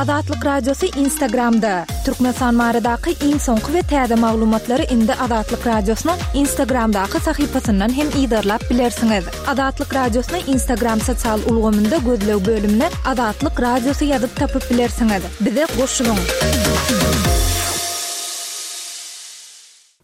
Azatlyk Radiosy Instagramda! Türkmenistan baradaky iň soňky we täze maglumatlary indi Azatlyk Radiosynyň Instagramdaky sahypasyndan hem yzarlap bilersiňiz. Azatlyk Radiosyny Instagram sosial ulgamynda gözleg bölümine Azatlyk Radiosy ýazyp tapyp bilersiňiz. Bize goşulyň!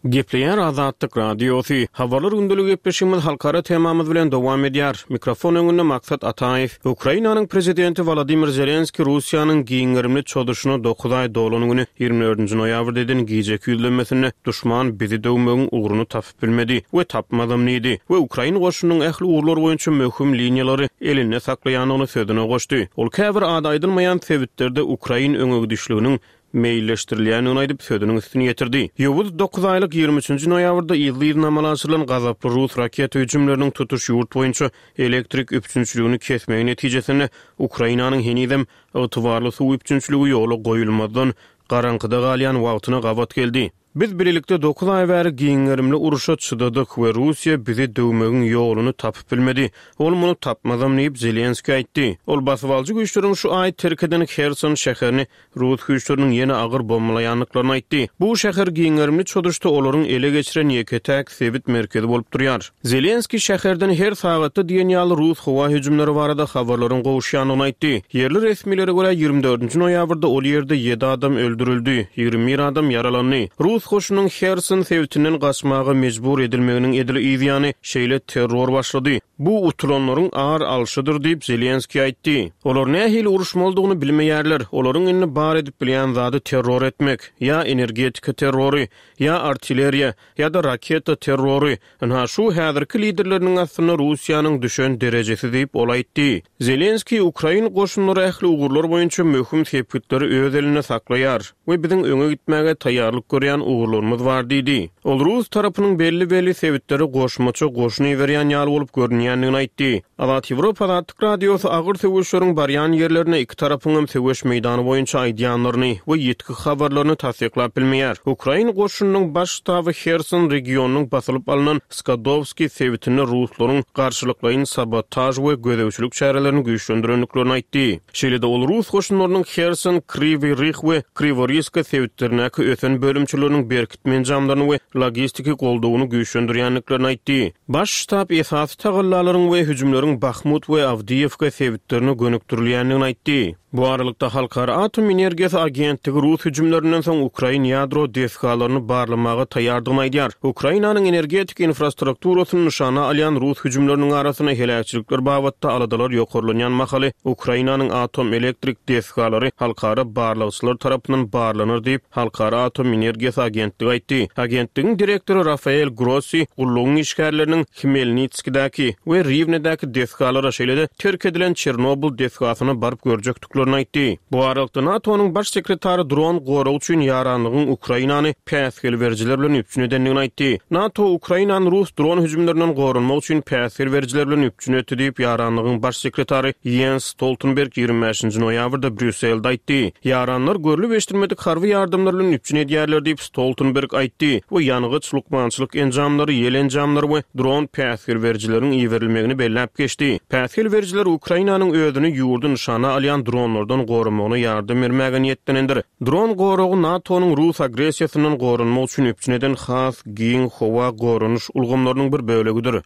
Gepleýär Azatlyk Radiosy. Habarlar gündelik gepleşigimiz halkara temamyz bilen dowam edýär. Mikrofon öňünde Maksat Ataýew. Ukrainanyň Prezidenti Wolodymyr Zelenskiý Russiýanyň giň gerimli çozuşyna dokuz aý dolan güni, 24-nji noýabrda eden gijeki ýüzlenmesinde duşman bizi döwmegiň ugruny tapyp bilmedi we tapmazam diýdi we ukrain goşunynyň ähli ugurlar boýunça möhüm liniýalary elinde saklaýandygyny sözüne goşdy. Ol käbir ady aýdylmaýan sebitlerde ukrain öňegidişliginiň meýilleşdirilýändigini aýdyp, sözüniň üstüni ýetirdi. Ýowuz dokuzaýlyk 23-nji noýabrda yzly-yzyna amala aşyrylan gazaply rus raketa hüjümleriniň tutuş ýurt boýunça elektrik üpjünçiligini kesmegi netijesinde Ukrainanyň henizem ygtybarly suw üpjünçiligi ýola goýulmazdan garaňkyda galýan wagtyna gabat geldi. Biz bilelikde dokuz aý bäri giň gerimli urşa çydadyk we Russiýa bizi döwmegiň ýoluny tapyp bilmedi. Ol muny tapmazam diýip, Zelenskiý aýtdy. Ol basybalyjy güýçleriň şu aý terk eden Herson şäherini rus güýçleriniň ýene agyr bombalaýandyklaryny aýtdy. Bu şäher giň gerimli çozuşda olaryň ele geçiren ýeke-täk sebit merkezi bolup durýar. Zelenskiý şäherden her sagatda diýen ýaly rus howa hüjümleri barada habarlaryň gowuşýandygyny aýtdy. Ýerli resmilere görä, 24-nji noýabrda ol ýerde ýedi adam öldürildi, 21 adam ýaralandy. Rus goşunynyň Herson sebitinden gaçmaga mejbur edilmeginiň edil yz ýany şeýle terror başlady. Bu utulanlaryň ar alşydyr diýip, Zelenskiý aýtdy. Olar nähili uruşmalydygyny bilmeýärler. Olaryň indi bar edip bilýän zady terror etmek. Ýa energetika terrory, ýa artilleriýa, ýa-da raketa terrory, ynha şu häzirki liderleriniň astynda Russiýanyň düşen derejesi diýip, ol aýtdy. Zelenskiý ukrain goşunlary ähli ugurlar boýunça möhüm sepgitleri öz elinde saklaýar we biziň öňe gitmäge taýýarlyk görýän ugurlarymyz bar diýdi. Ol rus tarapynyň belli-belli sebitlere goşmaça goşun iberýän ýaly bolup görünýändigini aýtdy. Azat Ýewropa Azatlyk Radiosy agyr söweşleriň barýan ýerlerinde iki tarapyňam söweş meýdany boýunça aýdýanlaryny we ýitgi habarlaryny tassyklap bilmeýär. Ukrain goşunynyň Baş ştaby Herson regionynyň basylyp alnan Skadowskiý sebitinde ruslaryň garşylyklaýyn sabotaž we gözegçilik çärelerini güýçlendirendiklerini aýtdy. Şeýle-de ol rus goşunlarynyň Herson, Kriwiý Rih we Kriworiska sebitlerindäki ösen bölümçeleriniň berkitme enjamlaryny we logistiki goldawyny güýçlendirýändiklerini aýtdy. Baş ştab esasy tagallalaryň we hüjümleriň Bahmut we Awdiýewka sebitlerine gönükdirilýändigini aýtdy. Bu aralykda, Halkara atom energiýasy agentligi rus hüjümlerinden soň ukrain ýadro desgalaryny barlamaga taýýardygyny aýdýar. Ukrainanyň energetika infrastrukturasyny nyşana alýan rus hüjümleriniň arasynda heläkçilikler babatda aladalar ýokarlanýan mahaly Ukrainanyň atom elektrik desgalary halkara barlagçylar tarapyndan barlanar diýip, Halkara atom energiýasy agentligi aýtdy. Agentligiň direktory Rafael Grossi gullugyň işgärleriniň Hmelnitskidäki we Riwnedäki desgalara, şeýle-de terk edilen Çernobyl desgasyna baryp görjekdiklerini aýtdy. Bu aralykda, NATO-nyň baş sekretary dron goragy üçin ýaranlygyň Ukrainany päsgel berijiler bilen üpjün edendigini aýtdy. NATO Ukrainany rus dron hüjümlerinden goranmak üçin päsgel berijiler bilen üpjün etdi diýip, ýaranlygyň baş sekretary Ýens Stoltenberg 25-nji noýabrda Brýusselde aýtdy. Ýaranlar görlüp-eşidilmedik harby ýardamlar bilen üpjün edýärler diýip, Stoltenberg aýtdy we ýangyç, lukmançylyk enjamlary, ýel enjamlary we dron päsgel berijileriň iberilmegini belläp geçdi. Päsgel berijiler Ukrainanyň özüni ýurdy nyşana alýan dronlardan goramagyna ýardam bermäge niýetlenendir. Dron goragy NATO-nyň rus agressiýasyndan goranmak üçin üpjün eden has giň howa goranyş ulgamlarynyň bir bölegidir.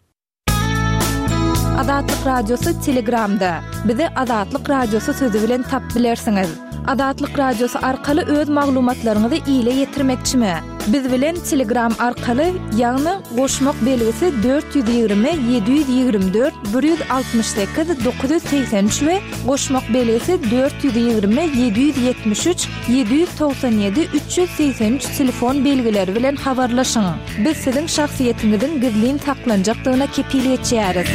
Azatlyk Radiosy Telegramda. Bizi Azatlyk Radiosy sözi bilen tap bilersiňiz. Azatlyk Radiosy arkaly öz maglumatlaryňyzy ile ýetirmekçimi? Biz bilen Telegram arkaly, ýagny goşmak belgisi 420 724 168 983 we goşmak belgisi 420 773 797 383 telefon belgileri bilen habarlaşyň. Biz siziň şahsyýetiňiziň gizlin saklanjakdygyna kepil geçýäris.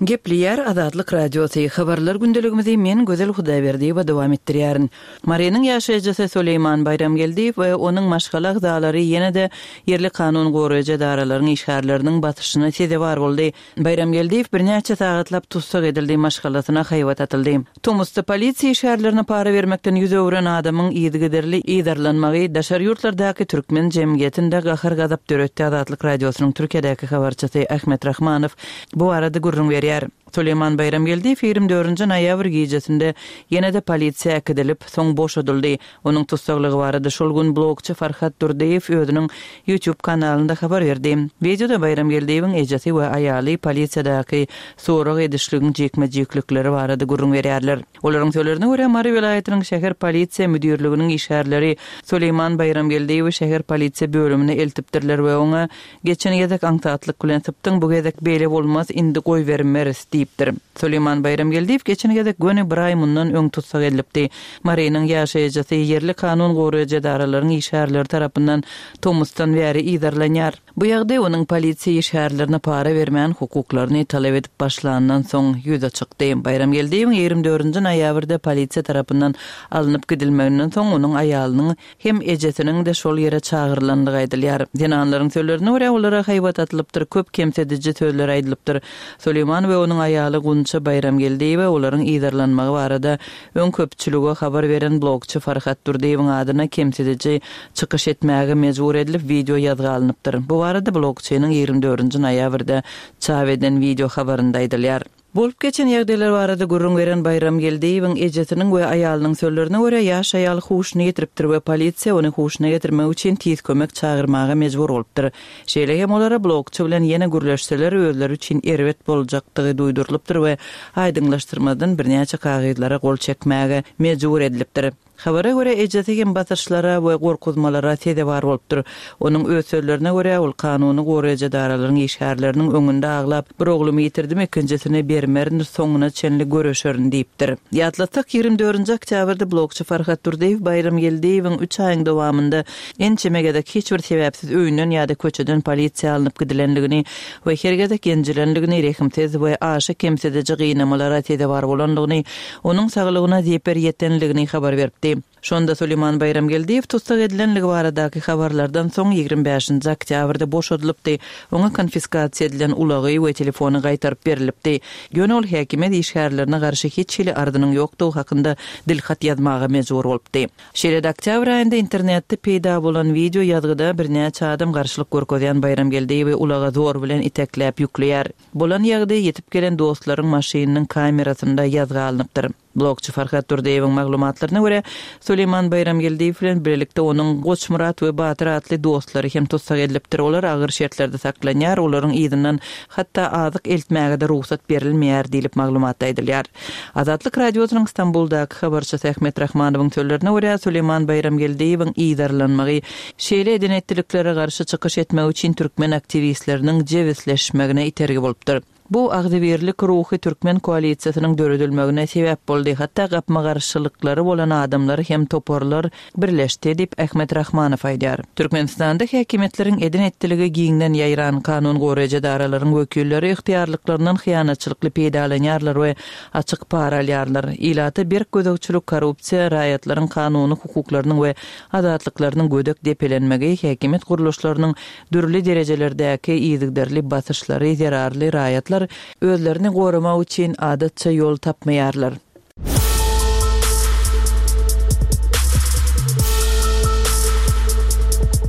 Gepleýär Azatlyk Radiosy, Habarlar gündeligimizi men Gözel Hudaýberdiýewa dowam etdirýärin. Marynyň ýaşaýjysy Soleýman Baýramgeldiýew we onuň maşgala agzalary ýene-de ýerli kanun goraýjy edaralaryň işgärleriniň basyşyna sezewar boldy. Baýramgeldiýew birnäçe sagatlap tussag edildi, maşgalasyna haýbat atyldy. Tomusda polisiýa işgärlerine para bermekden ýüz öwren adamyň yzygiderli yzarlanmagy daşary ýurtlardaky türkmen jemgyýetinde gahar-gazap döretdi, Azatlyk Radiosynyň Türkiýedäki habarçysy Ahmet Rahmanow bu barada gürrüň berýär. Süleýman Baýramgeldiýew 24-nji noýabr gijesinde ýene-de polisiýa äkidilip, soň boşadyldy. Onuň tussaglygy barada şol gün blogçy Farhat Durdyýew özüniň YouTube kanalynda habar berdi. Wideoda Baýramgeldiýewiň ejesi we aýaly polisiýadaky sorag edişligiň jikme-jiklikleri barada gürrüň berýärler. Olaryň sözlerine görä, Mary welaýatynyň şäher polisiýa müdirliginiň işgärleri Süleýman Baýramgeldiýewi şäher polisiýa bölümine eltipdirler we oňa Geçen gezek aňsatlyk bilen sypdyň, bu gezek beýle bolmaz, indi goýbermeris diýipdir. Süleýman Baýramgeldiýew geçen gezek göni bir aý mundan öň tussag edilipdi. Marynyň ýaşaýjysy ýerli kanun goraýjy edaralaryň işgärleri tarapyndan tomusdan bäri yzarlanýar. Bu ýagdaý onuň polisiýa işgärlerine para bermän hukuklaryny talap edip başlandan soň ýüze çykdy. Baýramgeldiýewiň 24-nji noýabrda polisiýa tarapyndan alnyp gidilmeginden soň onuň aýalynyň hem ejesiniň-de şol ýere çagyrylandygy aýdylýar. Zenanlaryň sözlerine görä, olara haýbat atylypdyr, köp kemsidiji sözler aýdylypdyr. Süleýman we onuň aýaly Gunça Baýramgeldiýewa olaryň yzarlanmagy barada öň köpçülige habar beren blogçy Farhat Durdyýewiň adyna kemsidiji çykyş etmäge mejbur edilip, wideo ýazga alnypdyr. Bu barada blogçynyň 24-nji noýabrda çap eden wideo habarynda aýdylýar. Bolup geçen ýagdaýlar barada gürrüň beren Baýram Geldiýewiň ejesiniň we aýalynyň sözlerine görä, ýaş aýal huşuny ýitiripdir we polisiýa ony huşuna getirmek üçin tiz kömek çagyrmaga mejbur bolupdyr. Şeýle hem olara blogçy bilen ýene gürleşseler özleri üçin erbet boljakdygy duýdurylypdyr we aýdyňlaşdyrmazdan birnäçe kagyzlara gol çekmäge mejbur edilipdir. Habara görä, ejesi hem basyşlara we gorkuzmalara sezewar bolupdyr. Onuň öz sözlerine görä, ol kanuny goraýjy edaralaryň işgärleriniň öňünde aglap, Bir oglumy ýitirdim, ikinjisini bermerin, soňuna çenli göreşerin diýipdir. Ýatlatsak, 24-nji oktýabrda blogçy Farhat Durdyýew Baýramgeldiýewiň üç aýyň dowamynda ençeme gezek hiç bir sebäpsiz öýünden ýa-da köçeden polisiýa alnyp gidilendigini we her gezek ýenjilendigini, rehimsiz we aşa kemsidiji gynamalara sezewar bolandygyny onuň saglygyna zeper ýetenligini habar beripdi. Şonda Suleýman Baýramgeldiýew tussag edilenligi baradaky habarlardan soň 25-nji oktýabrda boşadylypdy, oňa konfiskasiýa edilen ulagy we telefony gaýtaryp berlipdi. Ýöne ol häkimiýet işgärlerine garşy hiç hili arzynyň ýokdugy hakynda dilhat ýazmaga mejbur bolupdy. Şeýle-de oktýabr aýynda internetde peýda bolan wideo ýazgyda birnäçe adam garşylyk görkezýän Baýramgeldiýewi ulaga zor bilen itekläp ýükleýär. Bolan ýagdaý ýetip gelen dostlaryň maşynynyň kamerasynda ýazga alnypdyr. Blogçy Farhat Durdyýewiň maglumatlaryna görä, Suleýman Baýramgeldiýew bilen birlikde onuň Goçmyrat we Batyr atly dostlary hem tussag edilipdir. Olar agyr şertlerde saklanýar, olaryň yzyndan hatda azyk eltmäge-de rugsat berilmeýär diýlip maglumatda aýdylýar. Azatlyk Radiosynyň Stambuldaky habarçysy Ahmet Rahmanowyň sözlerine görä, Suleýman Baýramgeldiýewiň yzarlanmagy şeýle eden-etdiliklere garşy çykyş etmek üçin türkmen aktiwistleriniň jebisleşmegine itergi bolupdyr. Bu agzybirlik ruhy türkmen koalisiýasynyň döredilmegine sebäp boldy, hatda gapma-garşylyklary bolan adamlar hem toparlar birleşdi diýip, Ahmet Rahmanow aýdýar. Türkmenistanda häkimiýetleriň eden-etdiligi giňden ýaýran, kanun goraýjy edaralaryň wekilleri ygtyýarlyklaryndan hyýanatçylykly peýdalanýarlar we açyk para alýarlar. Ilata berk gözegçilik, korrupsiýa, raýatlaryň kanuny hukuklarynyň we azatlyklarynyň gödek depelenmegi, häkimiýet gurluşlarynyň dürli derejelerdäki yzygiderli basyşlary zerarly raýatlar özlerini goramak üçin adatça ýol tapmaýarlar.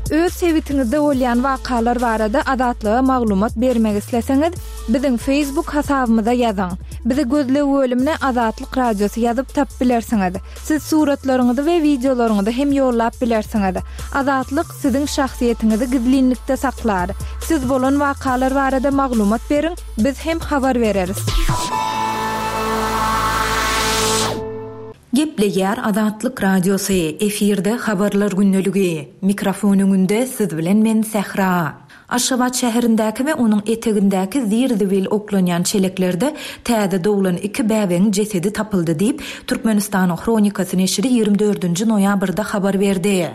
Öz sebitiňizde bolýan wakalar barada Azatlyga maglumat bermek isleseňiz, biziň Facebook hasabymyza ýazyň. Bizi gözleg bölümine Azatlyk Radiosy ýazyp tapyp bilersiňiz. Siz suratlaryňyzy we wideolaryňyzy hem ýollap bilersiňiz. Azatlyk siziň şahsyýetiňizi gizlinlikde saklar. Siz bolan wakalar barada maglumat beriň, biz hem habar bereris. Gepleýär Azatlyk Radiosy, efirde Habarlar gündeligi. Mikrofon öňünde siz bilen men Sähra. Aşgabat şäherindäki we onuň etegindäki zir-zibil oklanýan çeleklerde täze doglan iki bäbegiň jesedi tapyldy diýip, Türkmenistanyň Hronikasy neşiri 24-nji noýabrda habar berdi.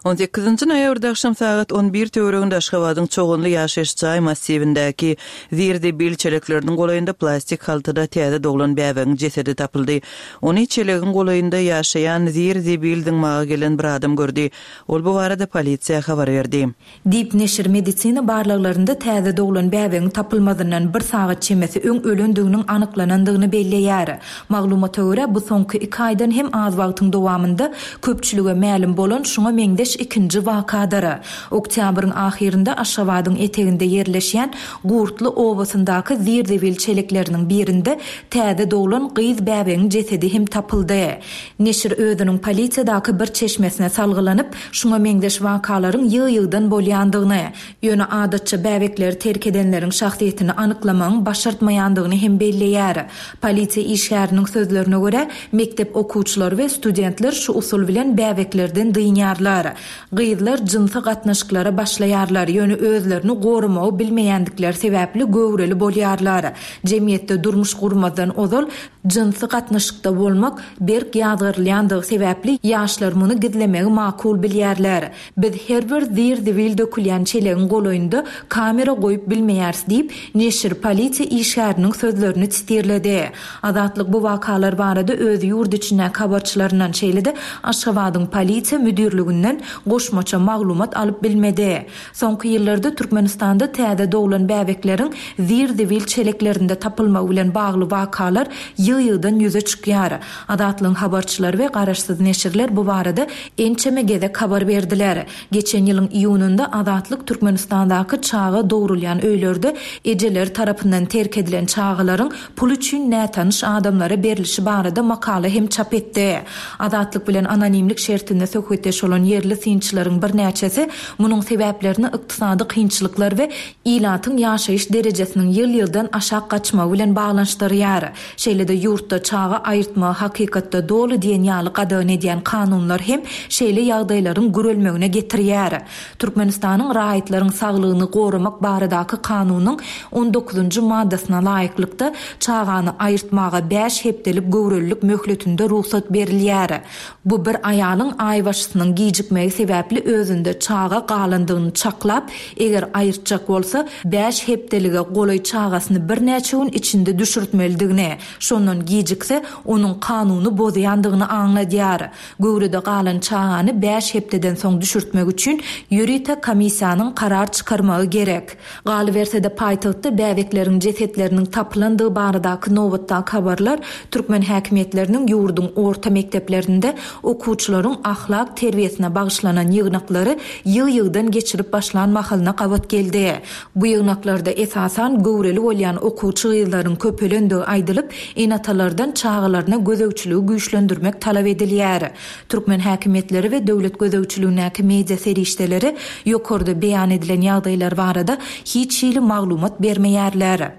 On sekizinji noýabrda agşam sagat on bir töwereginde Aşgabadyň Çoganly ýaşaýyş jaý massiwindäki zir-zibil çelekleriniň golaýynda plastik haltada täze doglan bäbegiň jesedi tapyldy. Ony çelegiň golaýynda ýaşaýan zir-zibil zyňmaga gelen bir adam gördi. Ol bu barada polisiýa habar berdi. Diýip, neşir medisina barlaglarynda täze doglan bäbegiň tapylmazyndan bir sagat çemesi öň ölendiginiň anyklanandygyny belleýär. Maglumata görä, bu soňky iki aýdan hem az wagtyň dowamynda köpçülige mälim bolan şuňa meňzeş. meňzeş ikinji wakadyr. Oktýabryň ahyrynda Aşgabadyň eteginde ýerleşýän Gurtly obasyndaky zir-zibil çelekleriniň birinde täze doglan gyz bäbegiň jesedi hem tapyldy. Neşir özüniň polisiýadaky bir çeşmesine salgylanyp, şuňa meňzeş wakalaryň ýygy-ýygydan bolýandygyny, ýöne adatça bäbekleri terk edenleriň şahsyýetini anyklamagyň başartmaýandygyny hem belleýär. Polisiýa işgäriniň sözlerine görä, mekdep okuwçylary we studentler şu usul bilen bäbeklerden dynýarlar. Gyzlar jynsy gatnaşyklara başlaýarlar, ýöne özlerini goramagy bilmeýändikleri sebäpli göwreli bolýarlar. Jemgyýetde durmuş gurmazdan ozal jynsy gatnaşykda bolmak berk ýazgarylýandygy sebäpli ýaşlar muny gizlemegi makul bilýärler. Biz her bir zir-zibil dökülýän çelegiň golaýynda kamera goýup bilmeýäris diýip, neşir polisiýa işgäriniň sözlerini sitirledi. Azatlyk bu wakalar barada öz ýurt içindäki habarçylaryndan, şeýle-de Aşgabadyň polisiýa müdirliginden goşmaça maglumat alyp bilmedi. Soňky ýyllarda Türkmenistanda täze doglan bäbekleriň zir-zibil çeleklerinde tapylmagy bilen bagly wakalar ýygy-ýygydan ýüze çykýar. Azatlygyň habarçylary we garaşsyz neşirler bu barada ençeme gezek habar berdiler. Geçen ýylyň iýunynda Azatlyk Türkmenistandaky çaga dogrulýan öýlerde ejeleri tarapyndan terk edilen çagalaryň pul üçin nätanyş adamlara berlişi barada makala hem çap etdi. Azatlyk bilen anonimlik şertinde söhbetdeş bolan ýerli synçylaryň birnäçesi munuň sebäplerini ykdysady kynçylyklar we ilatyň ýaşaýyş derejesiniň ýyl-ýyldan aşak gaçmagy bilen baglanyşdyrýar. Şeýle-de ýurtda çaga aýyrtmagy hakykatda doly diýen ýaly gadagan edýän kanunlar hem şeýle ýagdaýlaryň gürelmegine getirýär. Türkmenistanyň Raýatlaryň saglygyny goramak baradaky kanunyň on dokuzynjy maddasyna laýyklykda, çagany aýyrtmaga bäş hepdelik göwrelilik möhletinde rugsat berilýär. Bu bir aýalyň aýbaşysynyň gijikmegi sebäpli özünde çaga galandygyny çaklap, eger aýyrtjak bolsa, bäş hepdelige golaý çagasyny birnäçe gün içinde düşürtmelidigini, şondan gijikse, onuň kanuny bozýandygyny aňladýar. Göwrede galan çagany bäş hepdeden soň düşürtmek üçin ýörite komissiýanyň karar çykarmagy gerek. Galyberse-de, paýtagtda bäbekleriň jesetleriniň tapylandygy baradaky nobatdaky habarlar türkmen häkimiýetleriniň ýurduň orta mekdeplerinde okuwçylaryň ahlak terbiýesine bagyşlanan ýygnaklary ýygy-ýygydan geçirip başlan mahalyna gabat geldi. Bu ýygnaklarda esasan göwreli bolýan okuwçy gyzlaryň köpelendigi aýdylyp, ene-atalardan çagalaryna gözegçiligi güýçlendirmek talap edilýär. Türkmen häkimiýetleri we döwlet gözegçiligindäki media serişdeleri ýokarda beýan edilen ýagdaýlar barada hiç hili maglumat bermeýärler.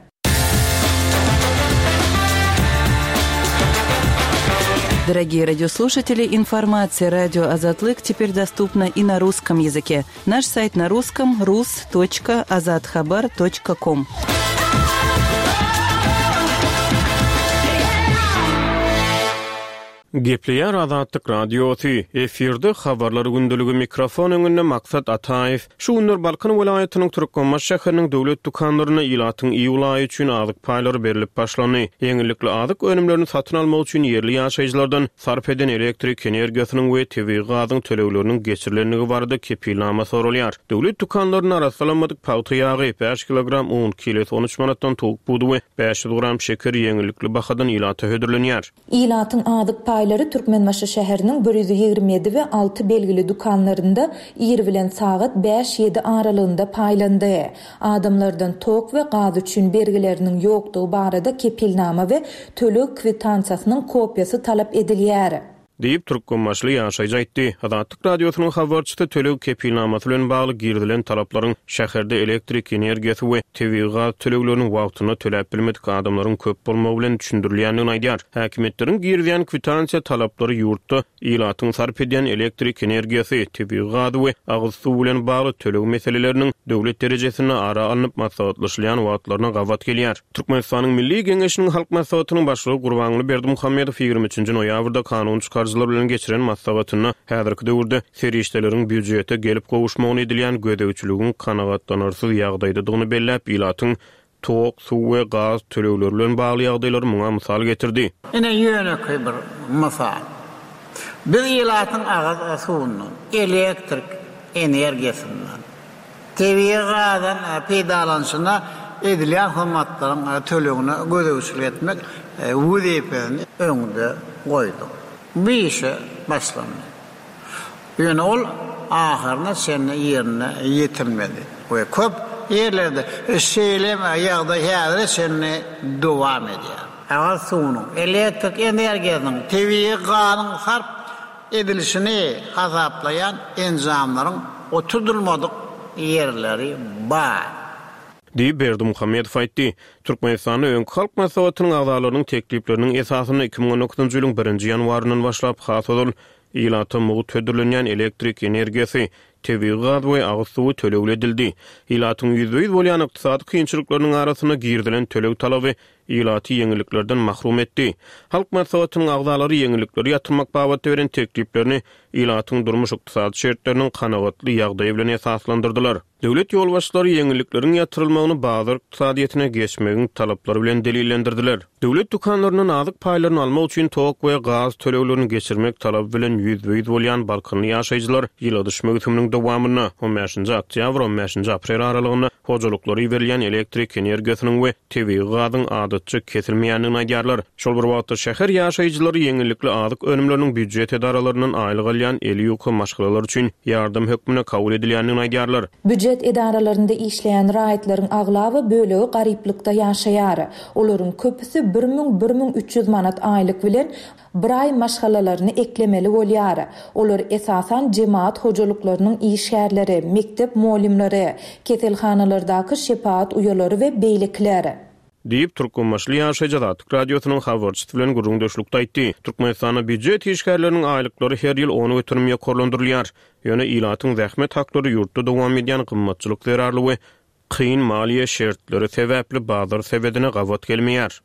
Дорогие радиослушатели, информация радио Азатлык теперь доступна и на русском языке. Наш сайт на русском rus.azathabar.com. Gepleýär Azatlyk Radiosy, efirde Habarlar gündeligi mikrofon öňünde Maksat Ataýew. Şu günler Balkan welaýatynyň Türkmenbaşy şäheriniň döwlet dükanlarynda ilatyň iýul aýy üçin azyk paýlary berlip başlandy. Ýeňillikli azyk önümlerini satyn almak üçin ýerli ýaşaýjylardan sarp eden elektrik energiýasynyň we tebigy gazyň tölegleriniň geçirilendigi barada kepilnama soralýar. Döwlet dükanlarynda arassalanmadyk pagta ýagy, bäş kilogram un, kilosy on üç manatdan towuk budy we 500 gram şeker ýeňillikli bahadan ilata hödürlenýär. Ilatyň azyk paýlary Türkmenbaşy şäheriniň 127 we 6 belgili dükanlarynda ir bilen sagat bäş-ýedi aralygynda paýlandy. Adamlardan tok we gaz üçin bergileriniň ýokdugy barada kepilnama we töleg kwitansiýasynyň kopiýasy talap edilýär. Diýip, türkmenbaşyly ýaşaýjy aýtdy. Azatlyk Radiosynyň habarçysy töleg kepilnamasy bilen bagly girizilen talaplaryň şäherde elektrik energiýasy we tebigy gaz töleglerini wagtynda töläp bilmedik adamlaryň köp bolmagy bilen düşündirilýändigini aýdýar. Häkimiýetleriň girizýän kwitansiýa talaplary ýurtda ilatyň sarp edýän elektrik energiýasy, tebigy gazy we agyz suwy bilen bagly töleg meseleleriniň döwlet derejesinde ara alnyp maslahatlaşylýan wagtlaryna gabat gelýär. Türkmenistanyň Milli Geňeşiniň Halk Maslahatynyň Başlygy Gurbanguly Berdimuhamedow 23-nji noýabrda kanun çykaryjylar bilen geçiren maslahatynda häzirki döwürde serişdeleriň býujete gelip gowuşmagyna edilýän gözegçiligiň kanagatlanarsyz ýagdaýdadygyny belläp, ilatyň tok, suw we gaz tölegleri bilen bagly ýagdaýlary muňa mysal getirdi. Ine ýönekeý bir mysal. Biz ilatyň agyz suwundan, elektrik energiýasyndan, Tebigy gazdan peýdalanyşyna edilýän hyzmatlaryň tölegine gözegçilik etmek wezipesini öňde goýduk. Bu işe başlandy. Ýöne ol. ahyryna çenli ýerine ýetirilmedi we köp ýerlerde şeýle ýagdaý häzire çenli dowam edýär. Agyz suwunyň, elektrik energiýasynyň, tebigy gazyň sarp edilişini hasaplaýan enjamlaryň oturdylmadyk ýerleri bar. Diýip, Berdimuhamedow aýtdy. Türkmenistanda öňki Halk Maslahatynyň agzalarynyň teklipleriniň esasynda 2019-njy ýylyň birinji ýanwaryndan başlap has ozal ilata mugt hödürlenýän elektrik energiýasy, tebigy gaz we agyz suwy tölegli edildi. Ilatyň ýüzbe-ýüz bolýan ykdysady kynçylyklarynyň arasynda girizilen töleg talaby ilaty ýeňilliklerden mahrum etdi. Halk Maslahatynyň agzalary ýeňillikleri ýatyrmak babatda beren tekliplerini ilatyň durmuş-ykdysady şertleriniň kanagatly ýagdaýy bilen esaslandyrdylar. Döwlet ýolbaşçylary ýeňillikleriň ýatyrylmagyny bazar ykdysadyýetine geçmegiň talaplary bilen delillendirdiler. Döwlet dükanlaryndan azyk paýlaryny almak üçin tok we gaz töleglerini geçirmek talaby bilen ýüzbe-ýüz bolýan balkanly ýaşaýjylar ýyladyş möwsüminiň dowamynda, on bäşinji oktýabr, on bäşinji aprel aralygynda hojalyklara iberilýän elektrik energiýasynyň we tebigy gazyň adatça kesilmeýändigini aýdýarlar. Şol bir wagtda, şäher ýaşaýjylary ýeňillikli azyk önümleriniň býujet edaralaryndan aýlyk alýan eli ýuka maşgalalar üçin ýardam hökmünde kabul edilýändigini aýdýarlar. Býujet edaralarynda işleýän raýatlaryň aglaba bölegi garyplykda ýaşaýar. Olaryň köpüsi 1000, 1300 manat aýlyk bilen bir aý maşgalalaryny eklemeli bolýar. Olar esasan jemagat hojalyklarynyň işgärleri, mekdep mugallymlary, keselhanalardaky şepagat uýalary we beýlekiler. Diýip, türkmenbaşyly ýaşaýjy Azatlyk Radiosynyň habarçysy bilen gürrüňdeşlikde aýtdy. Türkmenistanda býujet işgärleriniň aýlyklary her ýyl 10% ýokarlandyrylýar. Ýöne ilatyň zähmet haklary ýurtda dowam edýän gymmatçylyk zerarly we kyn maliýe şertleri sebäpli bazar sebedine gabat gelmeýär.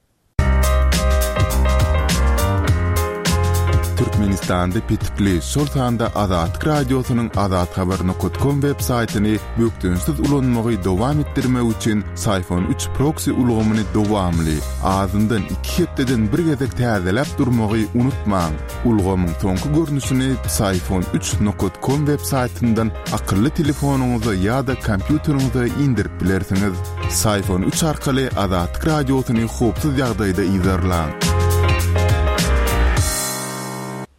Türkmenistanda petikli, şol sanda Azatlyk Radiosynyň azathabar nokat kom web saýtyny bökdençsiz ulanmagy dowam etdirmek üçin Syfon üç proksi ulgamyny dowamly, azyndan iki hepdeden bir gezek täzeläp durmagy unutmaň. Ulgamyň soňky görnüşini Psiphon üç nokat kom web saýtyndan akylly telefonyňyza ýa-da kompýuteriňize indirip bilersiňiz. Psiphon üç arkaly Azatlyk Radiosyny howpsuz ýagdaýda yzarlaň.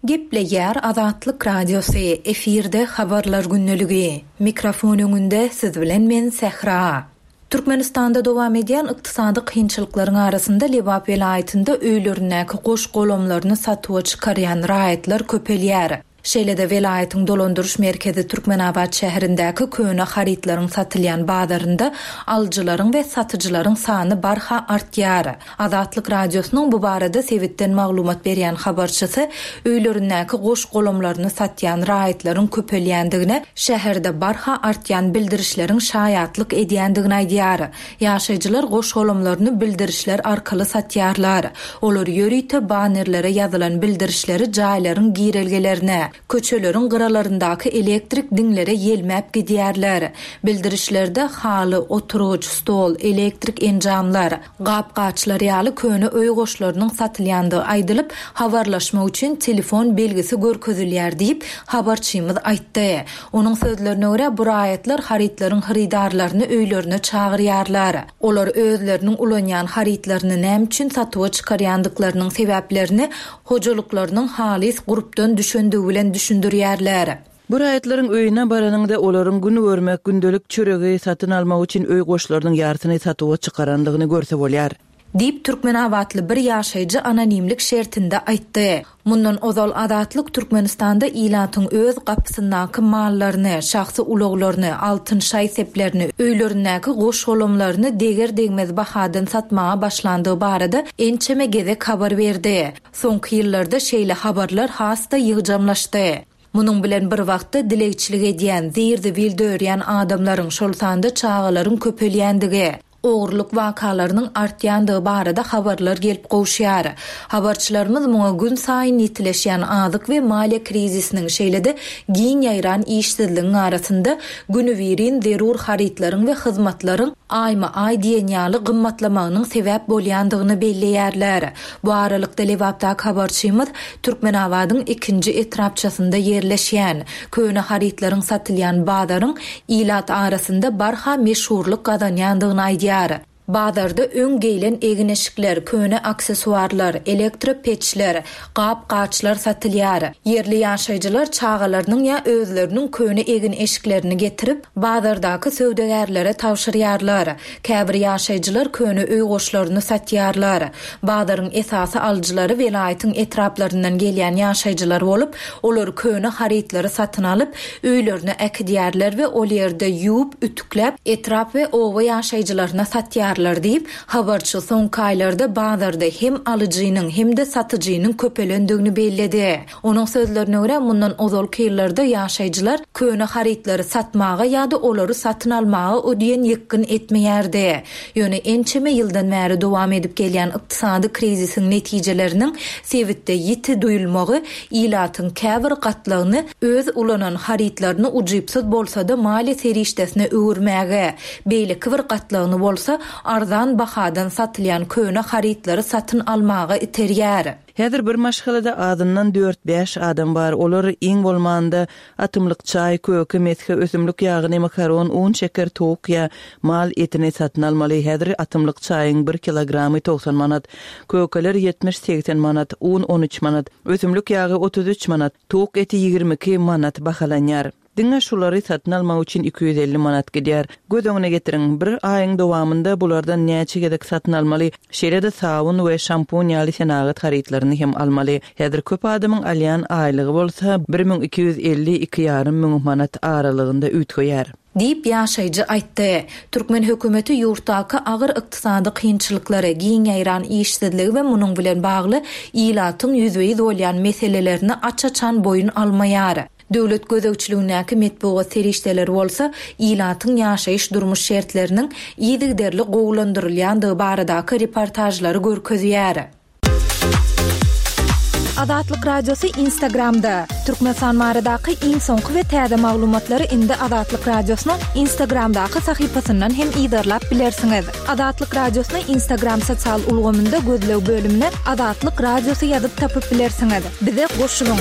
Gepleýär Azatlyk Radiosy, efirde Habarlar gündeligi. Mikrofon öňünde siz bilen men Sähra. Türkmenistanda dowam edýän ykdysady kynçylyklaryň arasynda Lebap welaýatynda öýlerindäki goş-golamlaryny satuwa çykarýan raýatlar köpelýär. Şeýle-de welaýatyň dolandyryş merkezi Türkmenabat şäherindäki köne harytlaryň satylýan bazarynda alyjylaryň we satyjylaryň sany barha artýar. Azatlyk Radiosynyň bu barada sebitden maglumat berýän habarçysy öýlerindäki goş-golamlaryny satýan raýatlaryň köpelýändigine şäherde barha artýan bildirişleriň şaýatlyk edýändigini aýdýar. Ýaşaýjylar goş-golamlaryny bildirişler arkaly satýarlar. Olar ýörite bannerlere ýazylan bildirişleri jaýlaryň girelgelerine, Köçeleriň gyralaryndaky elektrik diňlere ýelmäp gidýärler. Bildirişlerde haly, oturgyç, stol, elektrik enjamlar, gap-gaçlar ýaly köne öý goşlarynyň satylýandygy aýdylyp, habarlaşmak üçin telefon belgisi görkezilýär diýip, habarçymyz aýtdy. Onuň sözlerine görä, bu raýatlar harytlaryň hyrydarlaryny öýlerine çagyrýarlar. Olar özleriniň ulanýan harytlaryny näme üçin satuwa çykarýandyklarynyň sebäplerini hojalyklarynyň halys gurpdan düşendigi bilen düşündirýärler. Bu raýatlaryň öýüne baranyňda olaryň gün görmek, gündelik çöregi satyn almak üçin öý goşlarynyň ýarsyny satuwa çykarandygyny görse bolýar. Diýip, türkmenabatly bir ýaşaýjy anonimlik şertinde aýtdy. Mundan ozal Azatlyk Türkmenistanda ilatyň öz gapysyndaky mallaryny, şahsy ulaglaryny, altyn şaý-seplerini, öýlerindäki goş-golamlaryny deger-degmez bahadan satmaga başlandygy barada ençeme gezek habar berdi. Soňky ýyllarda şeýle habarlar has-da ýygjamlaşdy. Munuň bilen bir wagtda dilegçilik edýän, zir-zibil dörýän adamlaryň, şol sanda çagalaryň köpelýändigi, ogurlyk wakalarynyň artýandygy barada habarlar gelip gowuşýar. Habarçylarymyz muňa günsaýyn ýitileşýän azyk we maliýe krizisiniň, şeýle-de giň ýaýran işsizligiň arasynda günübirin zerur harytlaryň we hyzmatlaryň aýma-aý diýen ýaly gymmatlamagynyň sebäp bolýandygyny belleýärler. Bu aralykda, Lebapdaky habarçymyz Türkmenabadyň ikinji etrapçasynda ýerleşýän, köne harytlaryň satylýan bazaryň ilat arasynda barha meşhurlyk gazanýandygyny aýdýar. Bazarda öň geýlen egin-eşikler, köne aksessuarlar, elektropeçler, gap-gaçlar satylýar. Ýerli ýaşaýjylar çagalarynyň ýa özleriniň köne egin-eşiklerini getirip, bazardaky söwdagärlere tabşyrýarlar. Käbir ýaşaýjylar köne öý goşlaryny satýarlar. Bazaryň esasy alyjylary welaýatyň etraplaryndan gelýän ýaşaýjylar bolup, olar köne harytlary satyn alyp, öýlerine äkidýärler we ol ýerde ýuwup, ütükläp, etrap we oba ýaşaýjylaryna satýarlar diýip, habarçy soňky aýlarda bazarda hem alyjynyň, hem-de satyjynyň köpelendigini belledi. Onuň sözlerine görä, mundan ozalky ýyllarda ýaşaýjylar köne harytlary satmaga ýa-da olary satyn almaga o diýen ýykgyn etmeýärdi. Ýöne ençeme ýyldan bäri dowam edip gelýän ykdysady krizisiň netijeleriniň sebitde ýiti duýulmagy ilatyň käbir gatlagyny öz ulanan harytlaryny ujypsyz bolsa-da maliýe serişdesine öwürmäge, beýleki bir gatlagyny bolsa arzan bahadan satylýan köne harytlary satyn almaga iterýär. Häzir bir maşgalada azyndan dört-bäş adam bar, olar iň bolmanda atymlyk çaý, köke, mesge, ösümlik ýagyny, makaron, un, şeker, towuk ýa mal etini satyn almaly. Häzir atymlyk çaýyň bir kilogramy 90 manat, kökeler ýetmiş-segsen manat, un 13 manat, ösümlik ýagy 33 manat, towuk eti 22 manat bahalanýar. Diňe şulary satyn almak üçin 250 manat gidýär. Göz öňüne getiriň, bir aýyň dowamynda bulardan näçe gezek satyn almaly, şeýle-de sabyn we şampun ýaly senagat harytlaryny hem almaly. Häzir köp adamyň alýan aýlygy bolsa 1250, iki ýarym müň manat aralygynda üýtgeýär. Diýip, ýaşaýjy aýtdy. Türkmen hökümeti ýurtdaky agyr ykdysady kynçylyklary, giň ýaýran işsizligi we munuň bilen bagly ilatyň ýüzbe-ýüz bolýan meselelerini aç-açan boýun almaýar. Döwlet gözegçiligindäki metbugat serişdeleri bolsa ilatyň ýaşaýyş-durmuş şertleriniň yzygiderli gowulandyrylýandygy baradaky reportažlary görkezýär. Azatlyk Radiosy Instagramda, Türkmenistan baradaky iň soňky we täze maglumatlary indi Azatlyk Radiosynyň Instagramdaky sahypasyndan hem yzarlap bilersiňiz. Azatlyk Radiosyny Instagram sosial ulgamynda gözleg bölümine Azatlyk Radiosy ýazyp tapyp bilersiňiz. Bize goşulyň!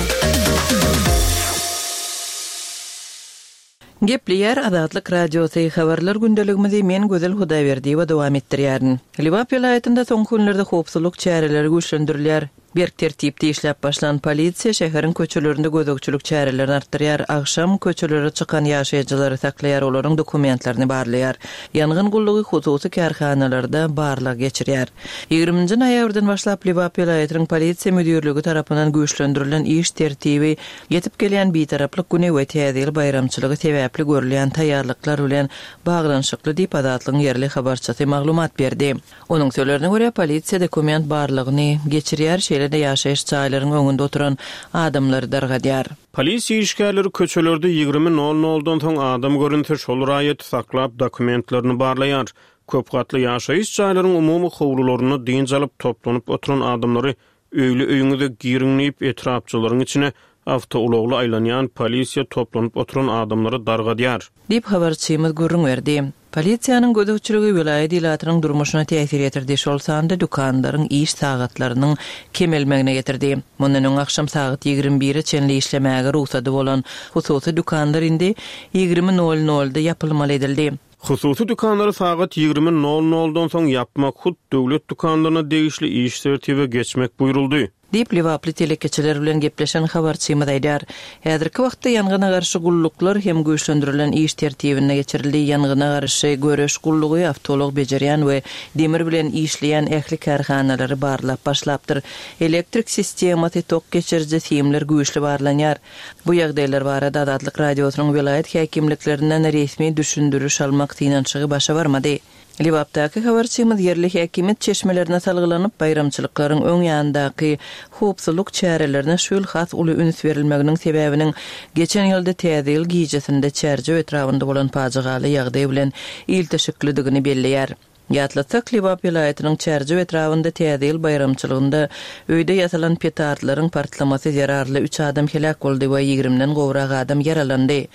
Gepleýär Azatlyk Radiosy, Habarlar gündeligimizi men Gözel Hudaýberdiýewa dowam etdirýärin. Lebap welaýatynda soňky günlerde howpsuzlyk çäreleri güýçlendirilýär. Berk tertipde işläp başlan polisiýa şäheriň köçelerinde gözegçilik çärelerini artdyrýar, agşam köçelere çykan ýaşaýjylary saklaýar, olaryň dokumentlerini barlaýar. Ýangyn gullugy hususy kärhanalarda barlag geçirýär. Ýigriminji noýabrdan başlap Lebap welaýatynyň polisiýa müdirligi tarapyndan güýçlendirilen iş tertibi ýetip gelýän Bitaraplyk güni we Täze ýyl baýramçylygy sebäpli görülýän taýýarlyklar bilen baglanyşykly diýip, Azatlygyň ýerli habarçysy maglumat berdi. Onuň sözlerine görä, polisiýa dokument barlagyny geçirýär, şeýle-de ýaşaýyş jaýlaryň öňünde oturan adamlary dargadýar. Polisiýa işgärleri köçelerde 20 nol noldan soň adam görünse, şol raýaty saklap, dokumentlerini barlaýar. Köp gatly ýaşaýyş jaýlaryň umumy howlularynda dynç alyp, toplanyp oturan adamlary öýli-öýüňize giriň diýip, etrapçalaryň içine awtoulagly aýlanýan polisiýa toplanyp oturan adamlary dargadýar. Diýip, habarçymyz gürrüň berdi. Polisiýanyň gözegçiligi welaýat ilatynyň durmuşyna täsir ýetirdi, şol sanda dükanlaryň iş sagatlarynyň kemelmegine getirdi. Mundan öň agşam sagat 21-e çenli işlemäge rugsady bolan hususy dükanlar indi 20 nol nolda ýapylmaly edildi. Hususy dükanlary sagat 20 nol noldan soň ýapmak, hut döwlet dükanlaryna degişli iş tertibe geçmek buýruldy. Diýip, lebaply telekeçiler bilen gepleşen habarçymyz aýdýar. Häzirki wagtda ýangyna garşy gulluklar hem güýçlendirilen iş tertibinde geçirildi. Ýangyna garşy göreş gullugy awtoulag bejerýän we demir bilen işleýän ähli kärhanalary barlap başlapdyr. Elektrik sistemasy, tok geçiriji simler güýçli barlanýar. Bu ýagdaýlar barada Azatlyk Radiosynyň welaýat häkimliklerinden resmi düşündiriş almak synanyşygy başa barmady. Lebapdaky habarçymyz ýerli häkimiýet çeşmelerine salgylanyp, baýramçylyklaryň öň ýanyndaky howpsuzlyk çärelerine şu ýyl has uly üns berilmeginiň sebäbiniň geçen ýylda Täze ýyl gijesinde Çärjew etrabynda bolan pajygaly ýagdaý bilen ilteşiklidigini belleýär. Ýatlatsak, Lebap welaýatynyň Çärjew etrabynda Täze ýyl baýramçylygynda öýde ýasalan petardlaryň partlamasy zerarly üç adam heläk boldy we ýigrimden gowrak adam ýaralandy.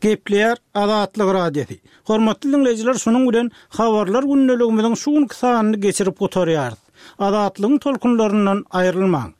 Gepleýär Azatlyk Radiosy. Hormatly diňleýjiler şunuň bilen Habarlar gündeligimiziň şu günki sanyny geçirip gutarýarys. Azatlygyň tolkunlaryndan aýrylmaň.